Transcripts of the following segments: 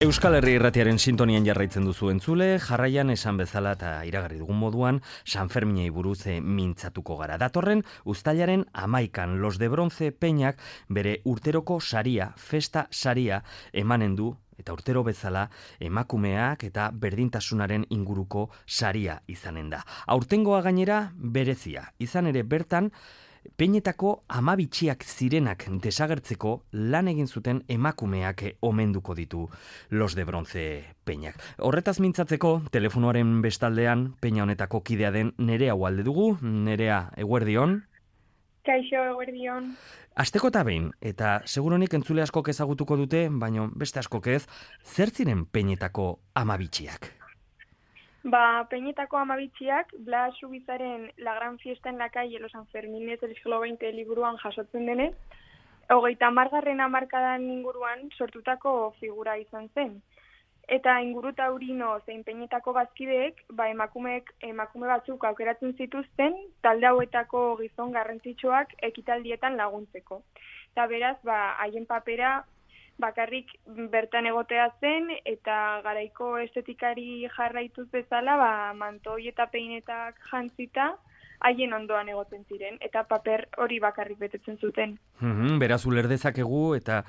Euskal Herri Irratiaren sintonian jarraitzen duzu entzule, jarraian esan bezala eta iragarri dugun moduan, Sanferminei buruz mintzatuko gara. Datorren, uztailaren 11an Los de Bronce Peñak bere urteroko saria, festa saria, emanen du, eta urtero bezala emakumeak eta berdintasunaren inguruko saria izanen da. Aurtengoa gainera berezia, izan ere bertan, Peñetako amabitxiak zirenak desagertzeko lan egin zuten emakumeak omenduko ditu Los de Bronce Peñak. Horretaz mintzatzeko, telefonoaren bestaldean Peña honetako kidea den Nerea Ualde dugu. Nerea, eguerdion. Kaixo, eguerdion. Asteko eta behin, eta seguronik entzule askok ezagutuko dute, baina beste askok ez, zer ziren Peñetako amabitxiak? Peñetako amabitxiak, Blas Ubizaren La Gran Fiesta en la Calle, Los Sanfermines del siglo XX liburuan jasotzen denez, 30. hamarkadan inguruan sortutako figura izan zen. Eta inguru taurino zein Peñetako bazkideek, emakume batzuk aukeratzen zituzten, talde hauetako gizon garrantzitsuak ekitaldietan laguntzeko. Eta beraz, haien papera bakarrik bertan egotea zen, eta garaiko estetikari jarraituz bezala, mantoi eta peinetak jantzita, haien ondoan egoten ziren, eta paper hori bakarrik betetzen zuten. Beraz uler dezakegu eta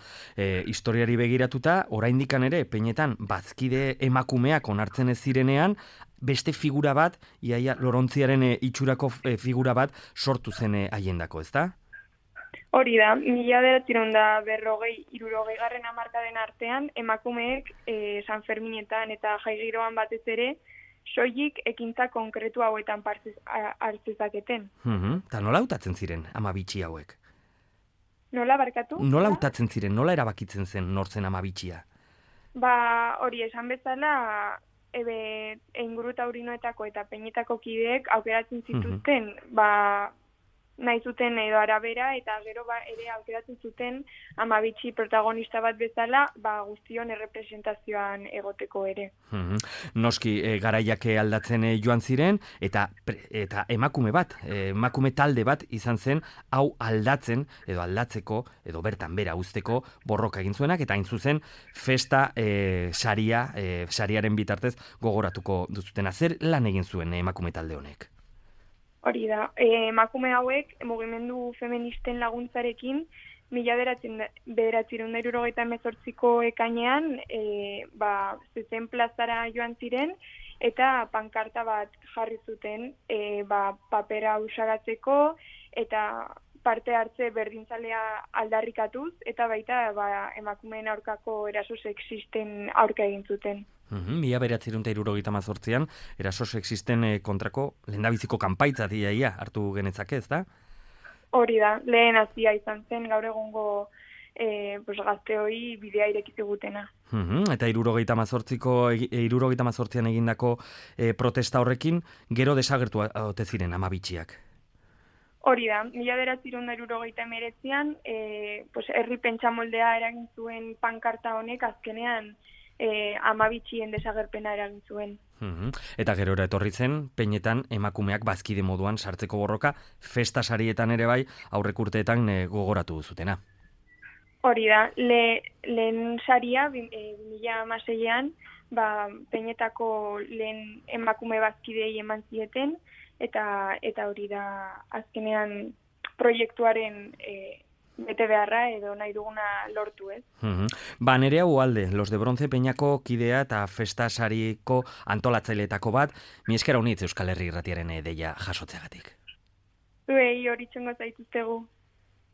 historiari begiratuta, oraindikan ere, Peñetan bazkide emakumeak onartzen ez zirenean, beste figura bat, iaia Lorontziaren itxurako figura bat sortu zen haiendako, ezta? Hori da, 1950-60 hamarkaden artean, emakumeek Sanferminetan eta jaigiroan batez ere, soilik ekintza konkretu hauetan hartzezaketen. Eta nola hautatzen ziren amabitxi hauek? Nola barkatu? Nola hautatzen ziren, nola erabakitzen zen nortzen amabitxia? Hori esan bezala, inguru taurinoetako eta Peñetako kideek aukeratzen zituzten, nahi zuten edo arabera, eta gero ere aukeratzen zuten amabitxi protagonista bat bezala, guztion errepresentazioan egoteko ere. Noski, garaiak aldatzen joan ziren, eta emakume talde bat izan zen, hau aldatzen, edo aldatzeko, edo bertan bera uzteko borroka egin zuenak, eta hain zuzen festa sariaren bitartez gogoratuko duzutena. Zer lan egin zuen emakume talde honek? Hori da, emakume hauek mugimendu feministen laguntzarekin 1978ko ekainean zezen plazara joan ziren eta pankarta bat jarri zuten papera usagatzeko eta parte hartze berdintzalea aldarrikatuz eta baita emakumeen aurkako eraso sexisten aurka egin zuten. 1978an eraso sexisten kontrako lehendabiziko kanpaitza iaia hartu genetzake, ezta? Hori da, lehen hazia izan zen gaur egungo gazteoi bidea irekizigutena. Eta 1978an egindako protesta horrekin gero desagertu ote ziren amabitxiak. Hori da, 1979an herri pentsamoldea eragin zuen pankarta honek azkenean amabitxien desagerpena eragin zuen. Eta gerora etorri zen, Peñetan emakumeak bazkide moduan sartzeko borroka, festa sarietan ere bai, aurrek urteetan gogoratu duzutena. Hori da, lehen saria, 2016an, Peñetako lehen emakume bazkidei eman zieten, eta hori da azkenean proiektuaren bete beharra edo nahi duguna lortu, ez? Nerea Ualde, Los de Bronce Peñako kidea eta festa sariko antolatzaileetako bat, mi esker honitz Euskal Herri Irratiaren deia jasotzeagatik. Zuei hori txongo zaituztegu.